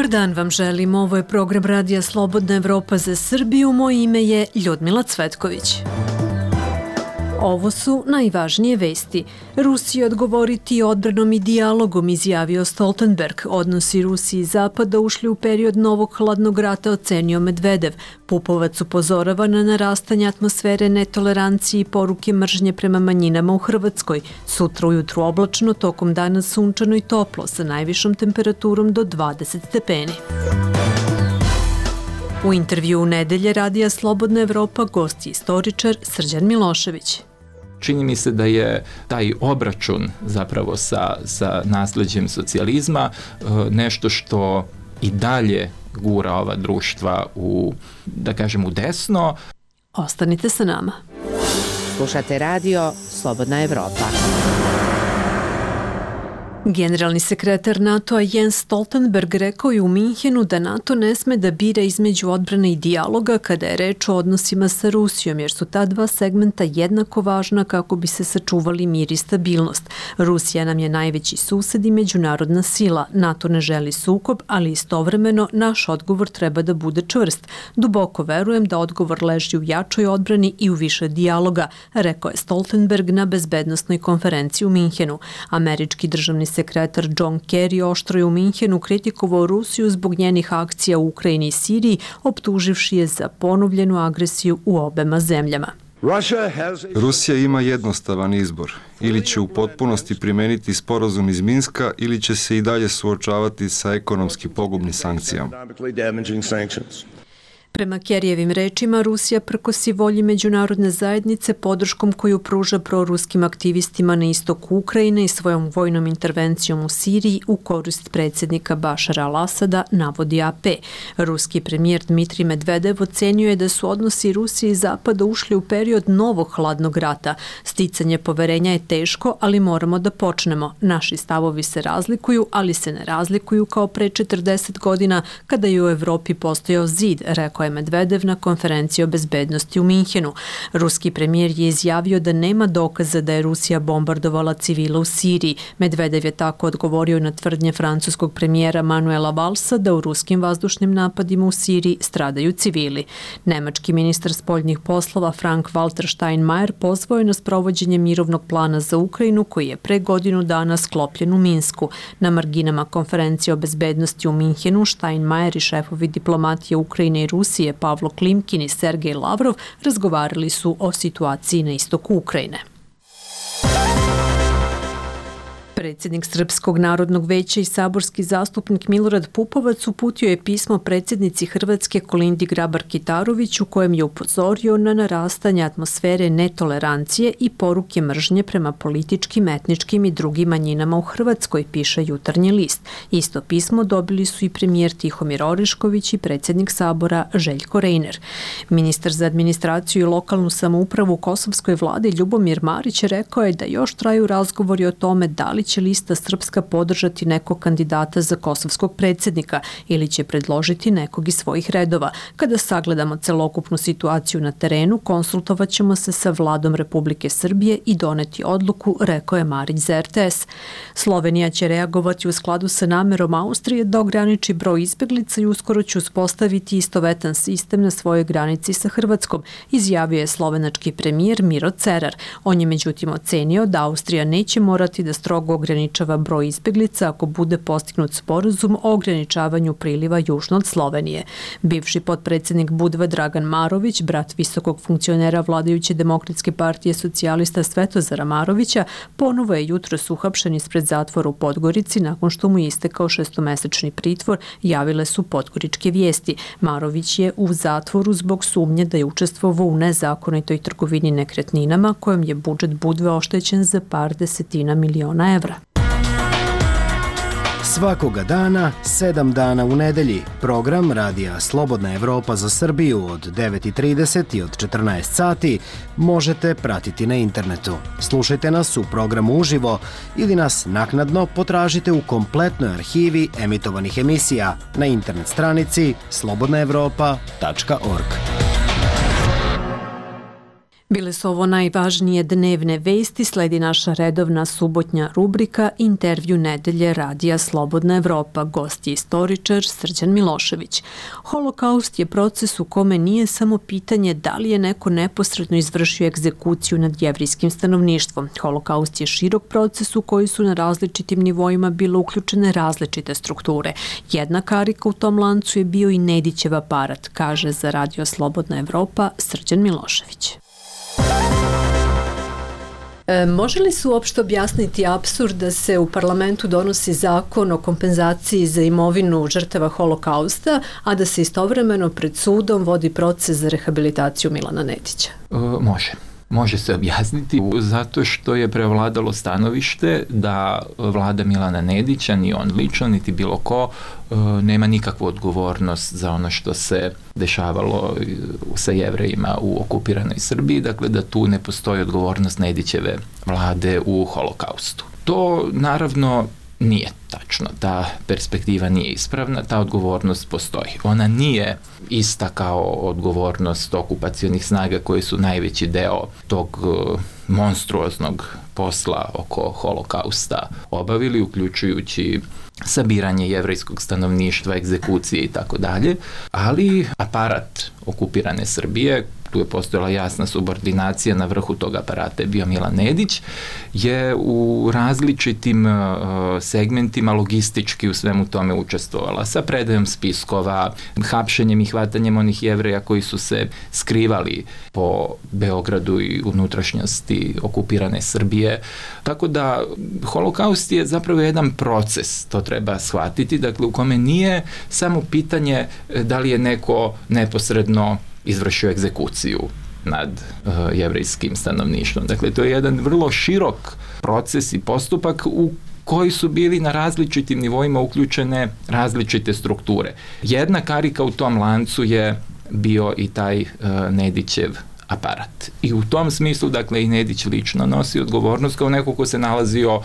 Dobar dan vam želim, ovo je program Radija Slobodna Evropa za Srbiju, moje ime je Ljudmila Cvetković. Ovo su najvažnije vesti. Rusija odgovoriti odbranom i dijalogom, izjavio Stoltenberg. Odnosi Rusije i Zapada ušli u period novog hladnog rata, ocenio Medvedev. Pupovac upozorava na narastanje atmosfere netolerancije i poruke mržnje prema manjinama u Hrvatskoj. Sutra ujutru oblačno, tokom dana sunčano i toplo, sa najvišom temperaturom do 20 stepeni. U intervju u nedelje Radija Slobodna Evropa gost je istoričar Srđan Milošević. Čini mi se da je taj obračun zapravo sa nasleđem socijalizma nešto što i dalje gura ova društva u desno. Ostanite sa nama. Slušate radio Slobodna Evropa. Generalni sekretar NATO-a Jens Stoltenberg rekao je u Minhenu da NATO ne sme da bira između odbrane i dijaloga kada je reč o odnosima sa Rusijom, jer su ta dva segmenta jednako važna kako bi se sačuvali mir i stabilnost. Rusija nam je najveći sused i međunarodna sila. NATO ne želi sukob, ali istovremeno naš odgovor treba da bude čvrst. Duboko verujem da odgovor leži u jačoj odbrani i u više dijaloga, rekao je Stoltenberg na bezbednosnoj konferenciji u Minhenu. Američki državni sekretar John Kerry oštro je u Minhenu kritikovao Rusiju zbog njenih akcija u Ukrajini i Siriji, optuživši je za ponovljenu agresiju u obema zemljama. Rusija ima jednostavan izbor. Ili će u potpunosti primeniti sporazum iz Minska ili će se i dalje suočavati sa ekonomski pogubnim sankcijama. Prema Kerryjevim rečima, Rusija prkosi volji međunarodne zajednice podrškom koju pruža proruskim aktivistima na istoku Ukrajine i svojom vojnom intervencijom u Siriji u korist predsjednika Bašara al-Asada, navodi AP. Ruski premijer Dmitrij Medvedev ocenio je da su odnosi Rusije i Zapada ušli u period novog hladnog rata. Sticanje poverenja je teško, ali moramo da počnemo. Naši stavovi se razlikuju, ali se ne razlikuju kao pre 40 godina kada je u Evropi postojao zid, rekao je Medvedev na konferenciji o bezbednosti u Minhenu. Ruski premijer je izjavio da nema dokaza da je Rusija bombardovala civila u Siriji. Medvedev je tako odgovorio na tvrdnje francuskog premijera Manuela Valsa da u ruskim vazdušnim napadima u Siriji stradaju civili. Nemački ministar spoljnih poslova Frank-Walter Steinmeier pozvao je na sprovođenje mirovnog plana za Ukrajinu koji je pre godinu dana sklopljen u Minsku. Na marginama konferencije o bezbednosti u Minhenu Steinmeier i šefovi diplomatije Ukrajine i Rusije Pavlo Klimkin i Sergej Lavrov razgovarali su o situaciji na istoku Ukrajine. Predsjednik Srpskog narodnog veća i saborski zastupnik Milorad Pupovac uputio je pismo predsjednici Hrvatske Kolindi Grabar-Kitarović u kojem je upozorio na narastanje atmosfere netolerancije i poruke mržnje prema političkim, etničkim i drugim manjinama u Hrvatskoj, piše Jutarnji list. Isto pismo dobili su i premijer Tihomir Orešković i predsjednik Sabora Željko Reiner. Ministar za administraciju i lokalnu samoupravu u kosovskoj vladi Ljubomir Marić rekao je da još traju razgovori o tome da li će lista Srpska podržati nekog kandidata za kosovskog predsjednika ili će predložiti nekog iz svojih redova. Kada sagledamo celokupnu situaciju na terenu, konsultovat ćemo se sa vladom Republike Srbije i doneti odluku, rekao je Marić za RTS. Slovenija će reagovati u skladu sa namerom Austrije da ograniči broj izbeglica i uskoro će uspostaviti istovetan sistem na svojoj granici sa Hrvatskom, izjavio je slovenački premijer Miro Cerar. On je međutim ocenio da Austrija neće morati da strogo ograničava broj izbeglica ako bude postignut sporazum o ograničavanju priliva južno od Slovenije. Bivši potpredsjednik Budve Dragan Marović, brat visokog funkcionera vladajuće Demokratske partije socijalista Svetozara Marovića, ponovo je jutros uhapšen ispred zatvora u Podgorici nakon što mu je istekao 6-mesečni pritvor, javile su podgoričke vijesti. Marović je u zatvoru zbog sumnje da je učestvovao u nezakonitoj trgovini nekretninama kojom je budžet Budve oštećen za par desetina miliona evra. Svakoga dana, 7 dana u nedelji. Program Radija Slobodna Evropa za Srbiju od 9:30 i od 14 sati možete pratiti na internetu. Slušajte nas u programu uživo ili nas naknadno potražite u kompletnoj arhivi emitovanih emisija na internet stranici slobodnaevropa.org. Bile su ovo najvažnije dnevne vesti, sledi naša redovna subotnja rubrika Intervju nedelje Radija Slobodna Evropa. Gost je istoričar Srđan Milošević. Holokaust je proces u kome nije samo pitanje da li je neko neposredno izvršio egzekuciju nad jevrijskim stanovništvom. Holokaust je širok proces u koji su na različitim nivoima bile uključene različite strukture. Jedna karika u tom lancu je bio i Nedićev aparat, kaže za Radio Slobodna Evropa Srđan Milošević. Može li se uopšte objasniti apsurd da se u parlamentu donosi zakon o kompenzaciji za imovinu žrtava Holokausta, a da se istovremeno pred sudom vodi proces za rehabilitaciju Milana Nedića? Može se objasniti zato što je prevladalo stanovište da vlada Milana Nedića, ni on lično, niti bilo ko, nema nikakvu odgovornost za ono što se dešavalo sa Jevrejima u okupiranoj Srbiji, dakle da tu ne postoji odgovornost Nedićeve vlade u Holokaustu. To naravno nije tačno, ta perspektiva nije ispravna, ta odgovornost postoji. Ona nije ista kao odgovornost okupacionih snaga koji su najveći deo tog monstruoznog posla oko Holokausta obavili, uključujući sabiranje jevrejskog stanovništva, egzekucije i tako dalje, ali aparat okupirane Srbije, tu je postojala jasna subordinacija, na vrhu tog aparata je bio Milan Nedić, je u različitim segmentima logistički u svemu tome učestvovala, sa predajom spiskova, hapšenjem i hvatanjem onih Jevreja koji su se skrivali po Beogradu i unutrašnjosti okupirane Srbije. Tako da Holokaust je zapravo jedan proces, to treba shvatiti, dakle u kome nije samo pitanje da li je neko neposredno izvršio egzekuciju nad jevrejskim stanovništvom. Dakle, to je jedan vrlo širok proces i postupak u koji su bili na različitim nivoima uključene različite strukture. Jedna karika u tom lancu je bio i taj Nedićev aparat. I u tom smislu, dakle, i Nedić lično nosi odgovornost kao neko ko se nalazio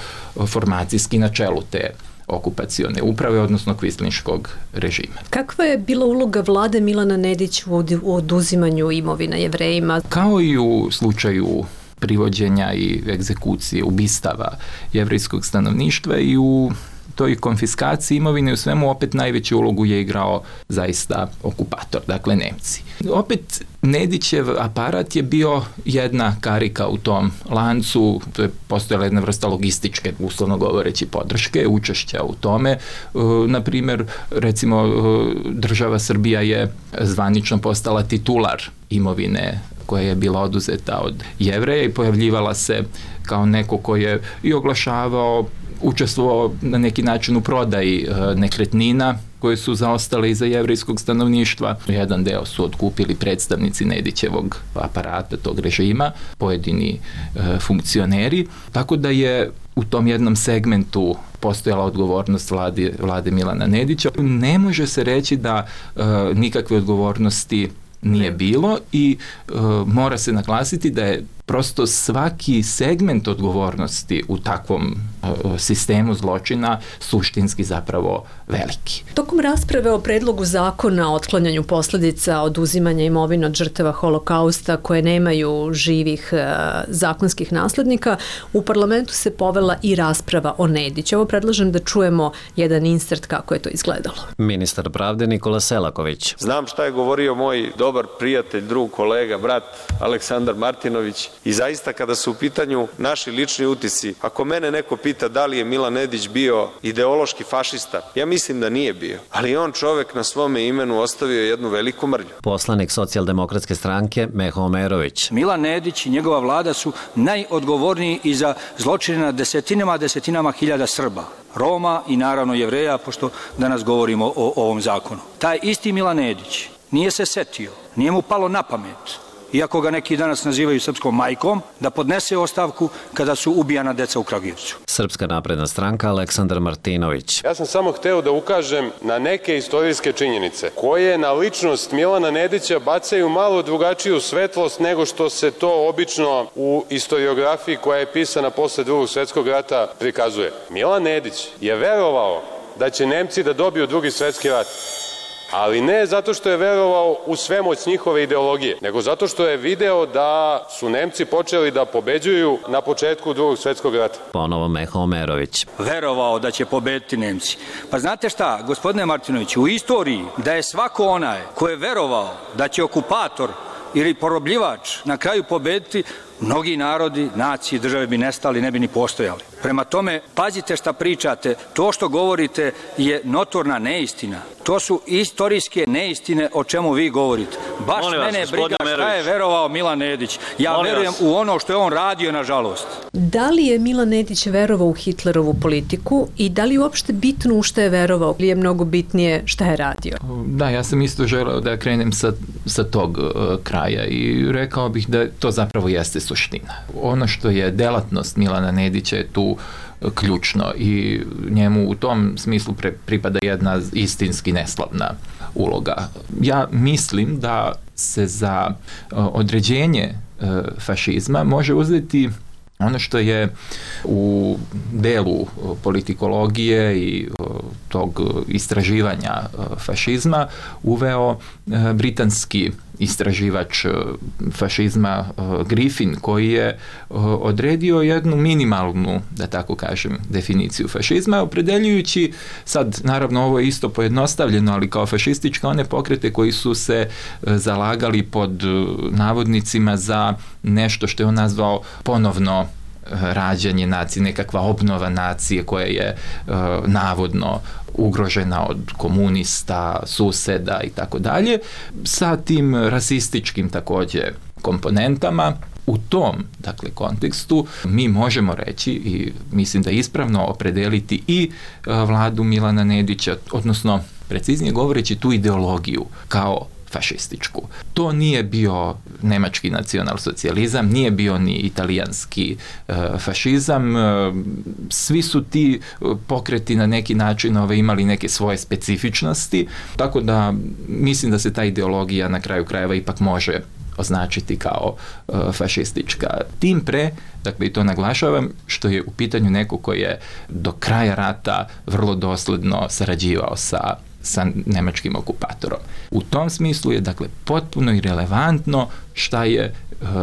formacijski na čelu te okupacione uprave, odnosno kvislinškog režima. Kakva je bila uloga vlade Milana Nedića u oduzimanju imovina Jevrejima? Kao i u slučaju privođenja i egzekucije, ubistava jevrejskog stanovništva i u toj konfiskaciji imovine, u svemu opet najveću ulogu je igrao zaista okupator, dakle Nemci. Opet Nedićev aparat je bio jedna karika u tom lancu, to je postojala jedna vrsta logističke, uslovno govoreći, podrške, učešća u tome. Naprimjer, recimo, država Srbija je zvanično postala titular imovine koja je bila oduzeta od Jevreja i pojavljivala se kao neko ko je i oglašavao, učestvovao na neki način u prodaji nekretnina koje su zaostale iza jevrejskog stanovništva. Jedan deo su otkupili predstavnici Nedićevog aparata, tog režima, pojedini funkcioneri, tako da je u tom jednom segmentu postojala odgovornost vlade Milana Nedića. Ne može se reći da nikakve odgovornosti nije bilo i mora se naglasiti da je prosto svaki segment odgovornosti u takvom sistemu zločina suštinski zapravo veliki. Tokom rasprave o predlogu zakona o otklanjanju posljedica oduzimanja imovine od žrtava Holokausta koje nemaju živih zakonskih naslednika, u parlamentu se povela i rasprava o Nediću. Ovo predlažem da čujemo jedan insert kako je to izgledalo. Ministar pravde Nikola Selaković. Znam šta je govorio moj dobar prijatelj, drug, kolega, brat Aleksandar Martinović i zaista kada su u pitanju naši lični utisci, ako mene neko pita da li je Milan Nedić bio ideološki fašista, ja mislim da nije bio, ali on čovek na svome imenu ostavio jednu veliku mrlju. Poslanik Socijaldemokratske stranke Meho Omerović. Milan Nedić i njegova vlada su najodgovorniji i za zločine na desetinama hiljada Srba, Roma i naravno Jevreja, pošto danas govorimo o ovom zakonu. Taj isti Milan Nedić nije se setio, nije mu palo na pamet, iako ga neki danas nazivaju srpskom majkom, da podnese ostavku kada su ubijana deca u Kragujevcu. Srpska napredna stranka Aleksandar Martinović. Ja sam samo hteo da ukažem na neke istorijske činjenice koje na ličnost Milana Nedića bacaju malo drugačiju svetlost nego što se to obično u istoriografiji koja je pisana posle Drugog svetskog rata prikazuje. Milan Nedić je verovao da će Nemci da dobiju Drugi svetski rat. Ali ne zato što je verovao u svemoć njihove ideologije, nego zato što je video da su Nemci počeli da pobeđuju na početku Drugog svetskog rata. Ponovo Meho Omerović. Verovao da će pobediti Nemci. Pa znate šta, gospodine Martinoviću, u istoriji da je svako onaj ko je verovao da će okupator ili porobljivač na kraju pobediti, mnogi narodi, nacije, države bi nestali, ne bi ni postojali. Prema tome, pazite šta pričate, to što govorite je notorna neistina. To su istorijske neistine o čemu vi govorite. Baš mene briga šta je verovao Milan Nedić. Ja verujem u ono što je on radio, nažalost. Da li je Milan Nedić verovao u Hitlerovu politiku i da li je uopšte bitno u šta je verovao ili je mnogo bitnije šta je radio? Da, ja sam isto želeo da krenem sa tog kraja i rekao bih da to zapravo jeste suština. Ono što je delatnost Milana Nedića je tu ključno i njemu u tom smislu pripada jedna istinski neslavna uloga. Ja mislim da se za određenje fašizma može uzeti ono što je u delu politikologije i tog istraživanja fašizma uveo britanski istraživač fašizma Griffin, koji je odredio jednu minimalnu, da tako kažem, definiciju fašizma, opredeljujući, sad naravno ovo je isto pojednostavljeno, ali kao fašističke one pokrete koji su se zalagali pod navodnicima za nešto što je on nazvao ponovno rađanje nacije, nekakva obnova nacije koja je navodno ugrožena od komunista, suseda i tako dalje, sa tim rasističkim također komponentama. U tom, dakle, kontekstu mi možemo reći i mislim da je ispravno opredeliti i vladu Milana Nedića, odnosno preciznije govoreći tu ideologiju kao fašističku. To nije bio nemački nacionalsocijalizam, nije bio ni italijanski fašizam. Svi su ti pokreti na neki način imali neke svoje specifičnosti, tako da mislim da se ta ideologija na kraju krajeva ipak može označiti kao fašistička. Tim pre, dakle i to naglašavam, što je u pitanju neko koji je do kraja rata vrlo dosledno sarađivao sa nemačkim okupatorom. U tom smislu je, dakle, potpuno irelevantno šta je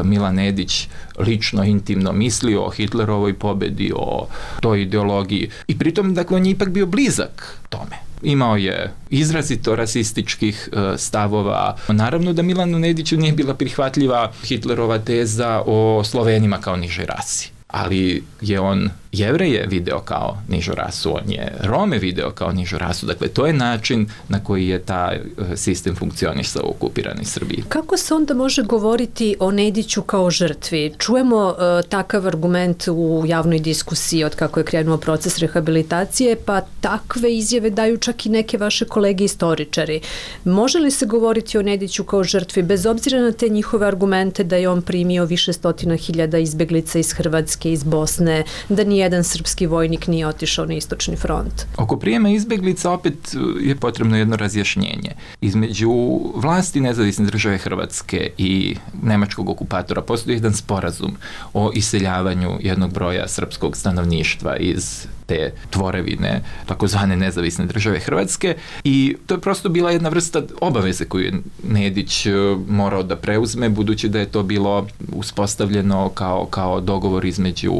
Milan Nedić lično, intimno mislio o Hitlerovoj pobedi, o toj ideologiji. I pritom, dakle, on je ipak bio blizak tome. Imao je izrazito rasističkih stavova. Naravno da Milanu Nediću nije bila prihvatljiva Hitlerova teza o Slovenima kao nižoj rasi. Ali je on Jevreje video kao nižu rasu, on je Rome video kao nižu rasu. Dakle, to je način na koji je taj sistem funkcionisao u okupiranoj Srbiji. Kako se onda može govoriti o Nediću kao žrtvi? Čujemo takav argument u javnoj diskusiji od kako je krenuo proces rehabilitacije, pa takve izjave daju čak i neke vaše kolege istoričari. Može li se govoriti o Nediću kao žrtvi bez obzira na te njihove argumente da je on primio više stotina hiljada izbeglica iz Hrvatske, iz Bosne, da nijedan srpski vojnik nije otišao na istočni front? Oko prijema izbeglica opet je potrebno jedno razjašnjenje. Između vlasti Nezavisne države Hrvatske i nemačkog okupatora postoji jedan sporazum o iseljavanju jednog broja srpskog stanovništva iz te tvorevine takozvane Nezavisne države Hrvatske i to je prosto bila jedna vrsta obaveze koju je Nedić morao da preuzme, budući da je to bilo uspostavljeno kao dogovor između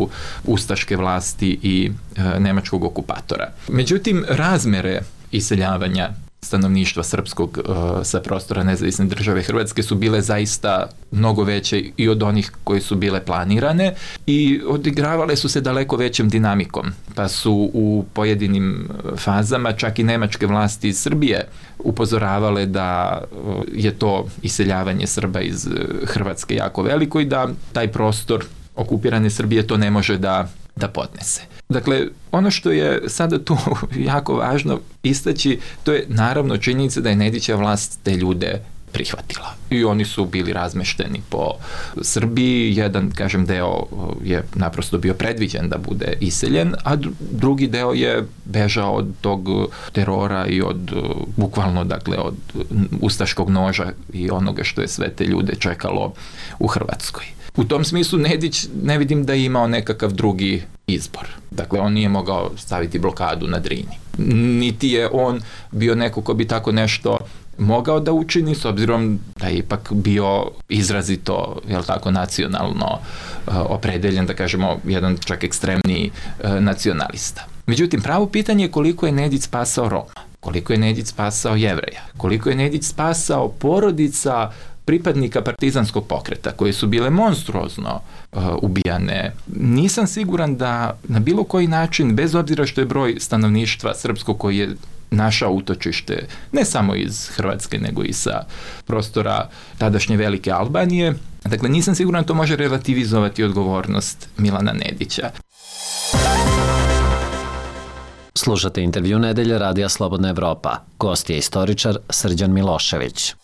ustaške vlasti i nemačkog okupatora. Međutim, razmere iseljavanja stanovništva srpskog sa prostora Nezavisne države Hrvatske su bile zaista mnogo veće i od onih koje su bile planirane i odigravale su se daleko većom dinamikom, pa su u pojedinim fazama čak i nemačke vlasti iz Srbije upozoravale da je to iseljavanje Srba iz Hrvatske jako veliko i da taj prostor okupirane Srbije to ne može da podnese. Dakle, ono što je sada tu jako važno istaći, to je naravno činjenica da je Nedićeva vlast te ljude prihvatila. I oni su bili razmešteni po Srbiji. Jedan, kažem, deo je naprosto bio predviđen da bude iseljen, a drugi deo je bežao od tog terora i od, bukvalno, dakle, od ustaškog noža i onoga što je sve te ljude čekalo u Hrvatskoj. U tom smislu Nedić ne vidim da je imao nekakav drugi izbor. Dakle, on nije mogao staviti blokadu na Drini. Niti je on bio neko ko bi tako nešto mogao da učini, s obzirom da je ipak bio izrazito, nacionalno opredeljen, da kažemo, jedan čak ekstremni nacionalista. Međutim, pravo pitanje je koliko je Nedić spasao Roma, koliko je Nedić spasao Jevreja, koliko je Nedić spasao porodica pripadnika partizanskog pokreta, koje su bile monstruozno ubijane. Nisam siguran da na bilo koji način, bez obzira što je broj stanovništva srpskog koji je našao utočište, ne samo iz Hrvatske, nego i sa prostora tadašnje Velike Albanije, dakle nisam siguran da to može relativizovati odgovornost Milana Nedića. Slušate intervju Nedelje Radija Slobodna Evropa. Gost je istoričar Srđan Milošević.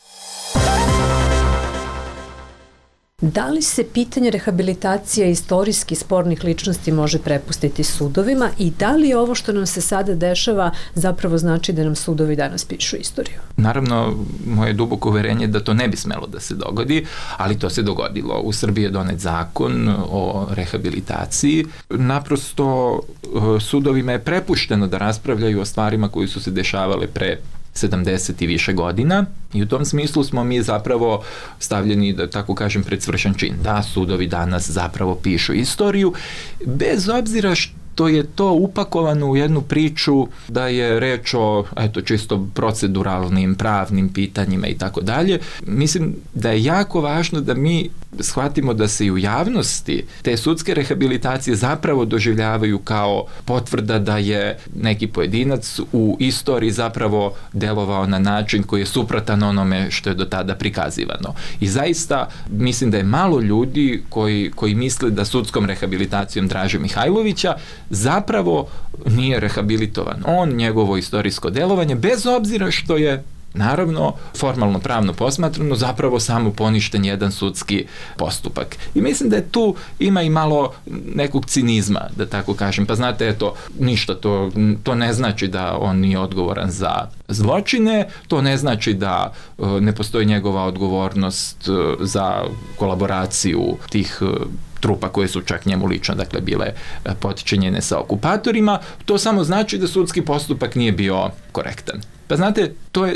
Da li se pitanje rehabilitacije istorijski spornih ličnosti može prepustiti sudovima i da li ovo što nam se sada dešava zapravo znači da nam sudovi danas pišu istoriju? Naravno, moje duboko uverenje da to ne bi smelo da se dogodi, ali to se dogodilo. U Srbiji je donet zakon o rehabilitaciji. Naprosto sudovima je prepušteno da raspravljaju o stvarima koji su se dešavale pre 70 i više godina i u tom smislu smo mi zapravo stavljeni, da tako kažem, pred svršen čin. Da, sudovi danas zapravo pišu istoriju, bez obzira što je to upakovano u jednu priču da je reč o čisto proceduralnim, pravnim pitanjima i tako dalje. Mislim da je jako važno da mi shvatimo da se i u javnosti te sudske rehabilitacije zapravo doživljavaju kao potvrda da je neki pojedinac u istoriji zapravo delovao na način koji je suprotan onome što je do tada prikazivano. I zaista mislim da je malo ljudi koji misle da sudskom rehabilitacijom Draže Mihajlovića zapravo nije rehabilitovan. On, njegovo istorijsko delovanje, bez obzira što je naravno, formalno pravno posmatrano, zapravo samo poništen jedan sudski postupak. I mislim da je tu ima i malo nekog cinizma, da tako kažem. Pa znate, eto, ništa, to ne znači da on nije odgovoran za zločine, to ne znači da ne postoji njegova odgovornost za kolaboraciju tih trupa koje su čak njemu lično, dakle, bile potčinjene sa okupatorima. To samo znači da sudski postupak nije bio korektan. Pa znate, to je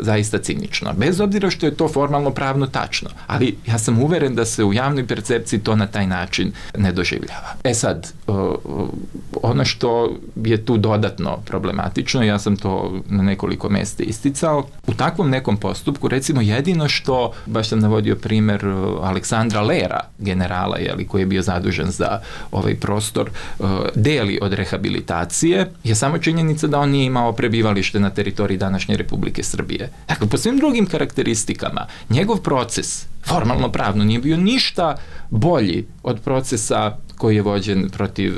zaista cinično. Bez obzira što je to formalno pravno tačno. Ali ja sam uveren da se u javnoj percepciji to na taj način ne doživljava. Sad, ono što je tu dodatno problematično, ja sam to na nekoliko mesta isticao, u takvom nekom postupku, recimo jedino što, baš sam navodio primer Aleksandra Lera, generala, koji je bio zadužen za ovaj prostor, deli od rehabilitacije, je samo činjenica da on nije imao prebivalište na teritoriji današnje Republike Srbije. Dakle, po svim drugim karakteristikama, njegov proces, formalno pravno, nije bio ništa bolji od procesa koji je vođen protiv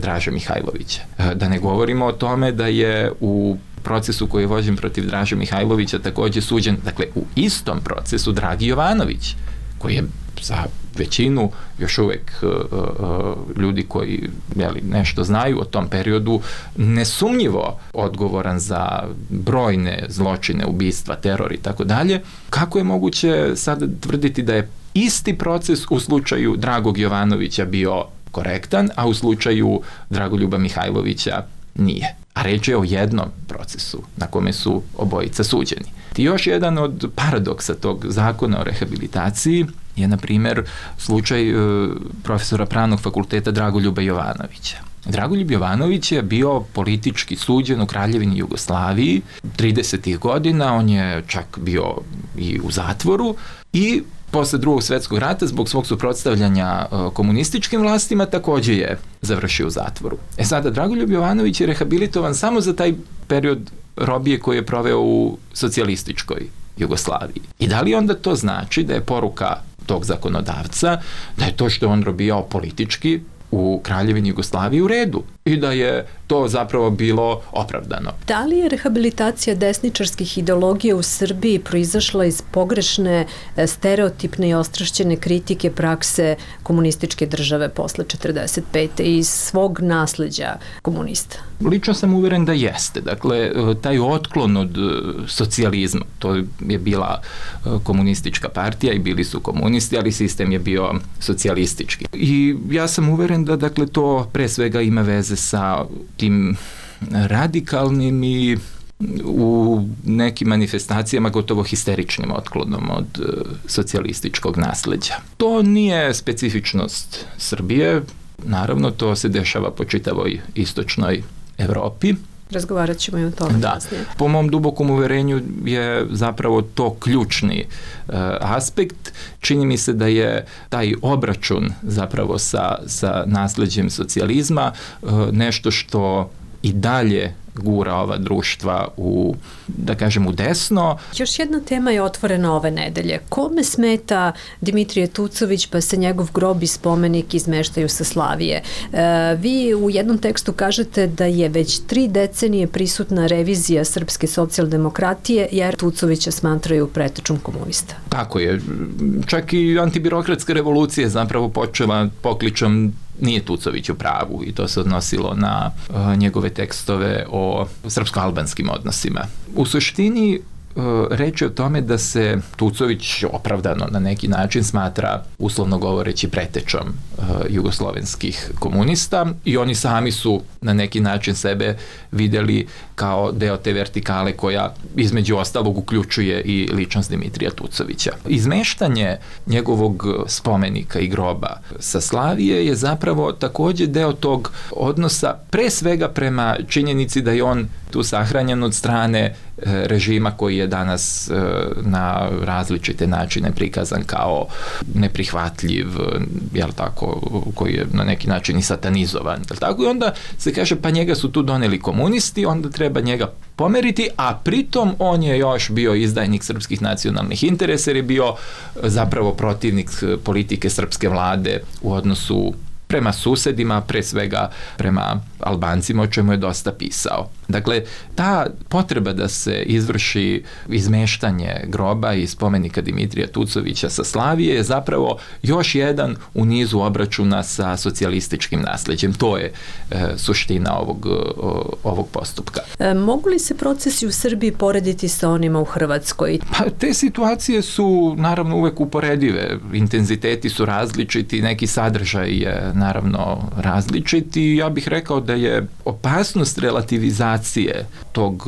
Draže Mihajlovića. Da ne govorimo o tome da je u procesu koji je vođen protiv Draže Mihajlovića takođe suđen, dakle, u istom procesu Dragi Jovanović, koji je za većinu još uvek ljudi koji nešto znaju o tom periodu nesumnjivo odgovoran za brojne zločine, ubistva, teror i tako dalje. Kako je moguće sada tvrditi da je isti proces u slučaju Dragog Jovanovića bio korektan, a u slučaju Dragoljuba Mihajlovića nije? A reč je o jednom procesu na kome su obojica suđeni. I još jedan od paradoksa tog zakona o rehabilitaciji je, na primjer, slučaj profesora Pravnog fakulteta Dragoljuba Jovanovića. Dragoljub Jovanović je bio politički suđen u Kraljevini Jugoslaviji 30. godina, on je čak bio i u zatvoru i posle Drugog svjetskog rata zbog svog suprotstavljanja komunističkim vlastima takođe je završio u zatvoru. Sada, Dragoljub Jovanović je rehabilitovan samo za taj period robije koji je proveo u socijalističkoj Jugoslaviji. I da li onda to znači da je poruka tog zakonodavca da je to što je on robijao politički u Kraljevini Jugoslaviji u redu i da je to zapravo bilo opravdano? Da li je rehabilitacija desničarskih ideologija u Srbiji proizašla iz pogrešne, stereotipne i ostrašćene kritike prakse komunističke države posle 45. i iz svog nasleđa komunista? Lično sam uveren da jeste. Dakle, taj otklon od socijalizma, to je bila komunistička partija i bili su komunisti, ali sistem je bio socijalistički. I ja sam uveren da, dakle, to pre svega ima veze sa tim radikalnim i u nekim manifestacijama gotovo histeričnim otklonom od socijalističkog nasleđa. To nije specifičnost Srbije, naravno to se dešava po čitavoj istočnoj Evropi. Razgovarat ćemo i o tome. Da. Po mom dubokom uverenju je zapravo to ključni aspekt. Čini mi se da je taj obračun zapravo sa nasleđem socijalizma nešto što i dalje gura ova društva u, da kažem, u desno. Još jedna tema je otvorena ove nedelje. Kome smeta Dimitrije Tucović pa se njegov grob i spomenik izmeštaju sa Slavije? Vi u jednom tekstu kažete da je već 3 decenije prisutna revizija srpske socijaldemokratije jer Tucovića smatraju pretečom komunista. Tako je. Čak i antibirokratska revolucija zapravo počela pokličom nije Tucović u pravu i to se odnosilo na njegove tekstove o srpsko-albanskim odnosima. U suštini reč je o tome da se Tucović opravdano na neki način smatra, uslovno govoreći, pretečom jugoslovenskih komunista i oni sami su na neki način sebe videli kao deo te vertikale koja između ostalog uključuje i ličnost Dimitrija Tucovića. Izmeštanje njegovog spomenika i groba sa Slavije je zapravo takođe deo tog odnosa pre svega prema činjenici da je on tu sahranjen od strane režima koji je danas na različite načine prikazan kao neprihvatljiv, jel tako, koji je na neki način i satanizovan, jel tako, i onda se kaže pa njega su tu doneli komunisti, onda treba njega pomeriti, a pritom on je još bio izdajnik srpskih nacionalnih interesa jer je bio zapravo protivnik politike srpske vlade u odnosu prema susedima, pre svega prema Albancima, o čemu je dosta pisao. Dakle, ta potreba da se izvrši izmeštanje groba i spomenika Dimitrija Tucovića sa Slavije je zapravo još jedan u nizu obračuna sa socijalističkim nasleđem. To je suština ovog postupka. Mogu li se procesi u Srbiji porediti sa onima u Hrvatskoj? Pa, te situacije su naravno uvek uporedive. Intenziteti su različiti, neki sadržaj je naravno različiti. Ja bih rekao da je opasnost relativizacije tog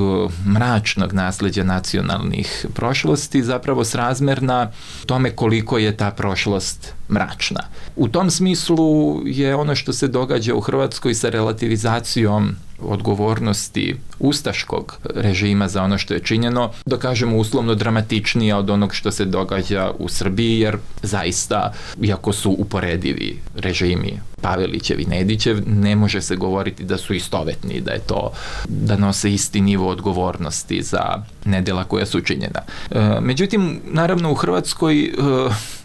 mračnog nasleđa nacionalnih prošlosti zapravo srazmerna tome koliko je ta prošlost mračna. U tom smislu je ono što se događa u Hrvatskoj sa relativizacijom odgovornosti ustaškog režima za ono što je činjeno, da kažemo uslovno dramatičnije od onog što se događa u Srbiji, jer zaista, iako su uporedivi režimi Pavelićev i Nedićev, ne može se govoriti da su istovetni, da je to, da nose isti nivo odgovornosti za nedela koja su činjena. Međutim, naravno u Hrvatskoj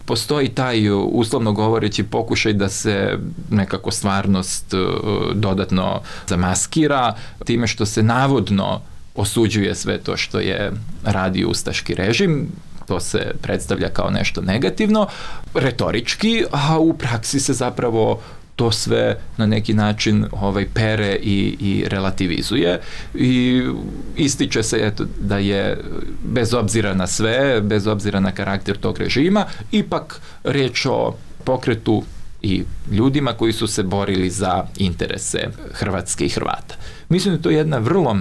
postoji taj, uslovno govoreći, pokušaj da se nekako stvarnost dodatno zamaskira time što se navodno osuđuje sve to što je radio ustaški režim. To se predstavlja kao nešto negativno, retorički, a u praksi se zapravo to sve na neki način pere i relativizuje i ističe se eto, da je bez obzira na sve, bez obzira na karakter tog režima, ipak reč o pokretu i ljudima koji su se borili za interese Hrvatske i Hrvata. Mislim da je to jedna vrlo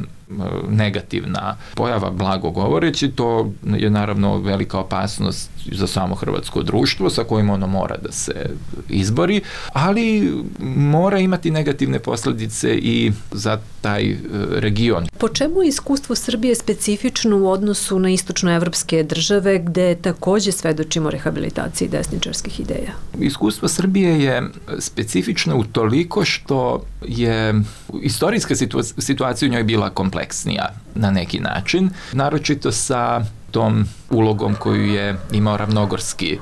negativna pojava, blago govoreći. To je naravno velika opasnost za samo hrvatsko društvo sa kojim ono mora da se izbori, ali mora imati negativne posljedice i za taj region. Po čemu je iskustvo Srbije specifično u odnosu na istočnoevropske države gde takođe svedočimo rehabilitaciji desničarskih ideja? Iskustvo Srbije je specifično u toliko što je istorijska situacija u njoj bila kompleksnija na neki način, naročito sa tom ulogom koju je imao ravnogorski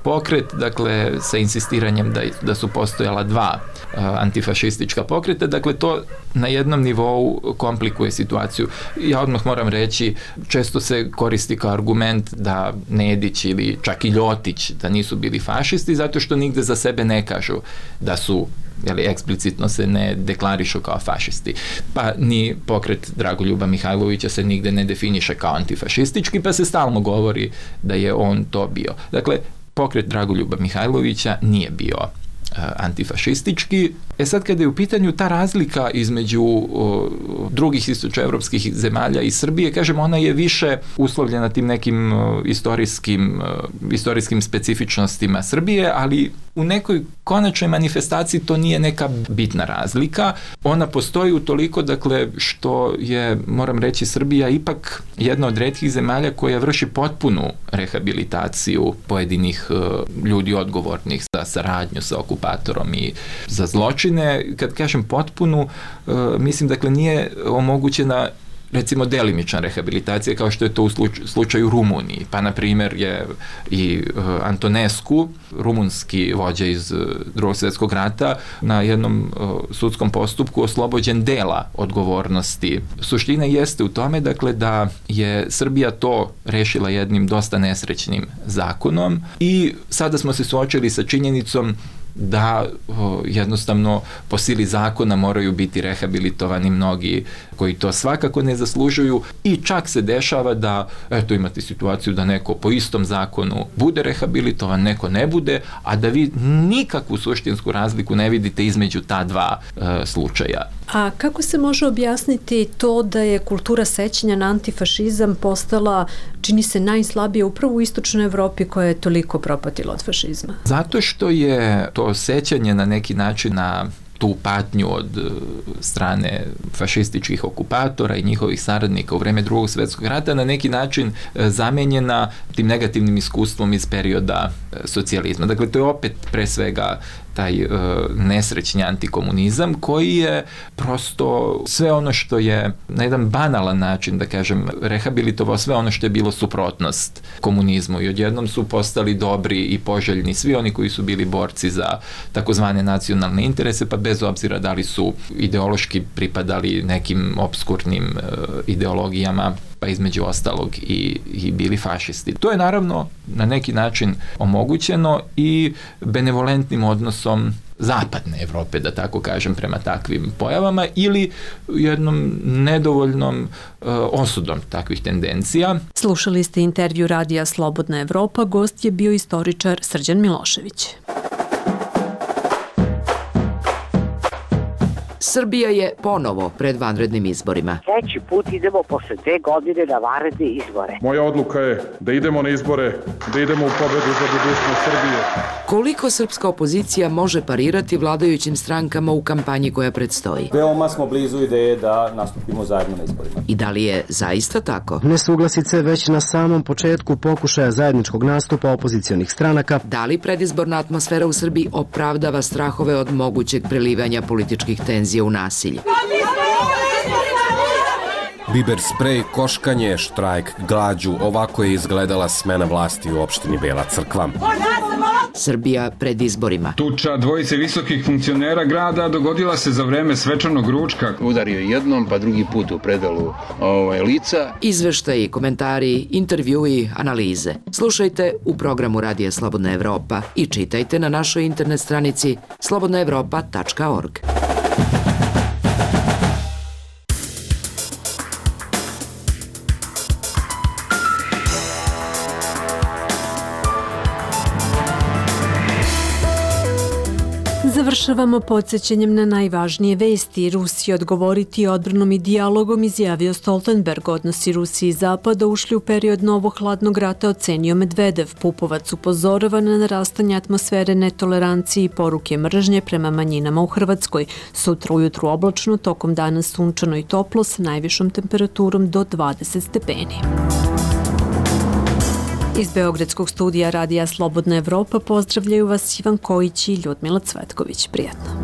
pokret, dakle sa insistiranjem da su postojala 2 antifašistička pokreta, dakle to na jednom nivou komplikuje situaciju. Ja odmah moram reći, često se koristi kao argument da Nedić ili čak i Ljotić da nisu bili fašisti zato što nigde za sebe ne kažu da su, eksplicitno se ne deklarišu kao fašisti. Pa ni pokret Dragoljuba Mihajlovića se nigde ne definiše kao antifašistički, pa se stalno govori da je on to bio. Dakle, pokret Dragoljuba Mihajlovića nije bio antifašistički, Sad kada je u pitanju ta razlika između drugih istočnoevropskih zemalja i Srbije, kažem, ona je više uslovljena tim nekim istorijskim specifičnostima Srbije, ali u nekoj konačnoj manifestaciji to nije neka bitna razlika. Ona postoji utoliko, dakle, što je, moram reći, Srbija ipak jedna od retkih zemalja koja vrši potpunu rehabilitaciju pojedinih ljudi odgovornih za saradnju sa okupatorom i za zločine. Kad kažem potpunu, mislim, dakle, nije omogućena recimo delimična rehabilitacija kao što je to u slučaju Rumuniji. Pa, na primjer, je i Antonescu, rumunski vođa iz Drugog svjetskog rata, na jednom sudskom postupku oslobođen dela odgovornosti. Suština jeste u tome, dakle, da je Srbija to rešila jednim dosta nesrećnim zakonom i sada smo se suočili sa činjenicom da jednostavno po sili zakona moraju biti rehabilitovani mnogi koji to svakako ne zaslužuju i čak se dešava da, eto, imate situaciju da neko po istom zakonu bude rehabilitovan, neko ne bude, a da vi nikakvu suštinsku razliku ne vidite između ta dva slučaja. A kako se može objasniti to da je kultura sećanja na antifašizam postala, čini se, najslabije upravo u istočnoj Evropi koja je toliko propatila od fašizma? Zato što je to sećanje na neki način na tu patnju od strane fašističkih okupatora i njihovih saradnika u vreme Drugog svjetskog rata na neki način zamenjena tim negativnim iskustvom iz perioda socijalizma. Dakle, to je opet pre svega taj nesrećni antikomunizam koji je prosto sve ono što je na jedan banalan način, da kažem, rehabilitovao sve ono što je bilo suprotnost komunizmu i odjednom su postali dobri i poželjni svi oni koji su bili borci za takozvane nacionalne interese, pa bez obzira da li su ideološki pripadali nekim obskurnim ideologijama, pa između ostalog i bili fašisti. To je naravno na neki način omogućeno i benevolentnim odnosom zapadne Evrope, da tako kažem, prema takvim pojavama ili jednom nedovoljnom osudom takvih tendencija. Slušali ste intervju Radija Slobodna Evropa, gost je bio istoričar Srđan Milošević. Srbija je ponovo pred vanrednim izborima. Treći put idemo posle 2 godine na vanredne izbore. Moja odluka je da idemo na izbore, da idemo u pobedu za budućnost Srbije. Koliko srpska opozicija može parirati vladajućim strankama u kampanji koja predstoji? Veoma smo blizu ideje da nastupimo zajedno na izborima. I da li je zaista tako? Nesuglasice već na samom početku pokušaja zajedničkog nastupa opozicionih stranaka. Da li predizborna atmosfera u Srbiji opravdava strahove od mogućeg prelivanja političkih tenzija u nasilje? Biber sprej, koškanje, štrajk, glađu, ovako je izgledala smena vlasti u opštini Bela Crkva. Srbija pred izborima. Tuča dvojice visokih funkcionera grada dogodila se za vreme svečanog ručka. Udario jednom, pa drugi put u predalu lica. Izveštaji, komentari, intervjui, analize. Slušajte u programu Radija Slobodna Evropa i čitajte na našoj internet stranici slobodnaevropa.org. Završavamo podsjećanjem na najvažnije vesti. Rusija odgovoriti odbranom i dijalogom, izjavio Stoltenberg. Odnosi Rusije i Zapada ušli u period novog hladnog rata, ocenio Medvedev. Pupovac upozorava na narastanje atmosfere netolerancije i poruke mržnje prema manjinama u Hrvatskoj. Sutra ujutru oblačno, tokom dana sunčano i toplo sa najvišom temperaturom do 20 stepeni. Iz Beogradskog studija Radija Slobodna Evropa pozdravljaju vas Ivan Kojić i Ljudmila Cvetković. Prijatno.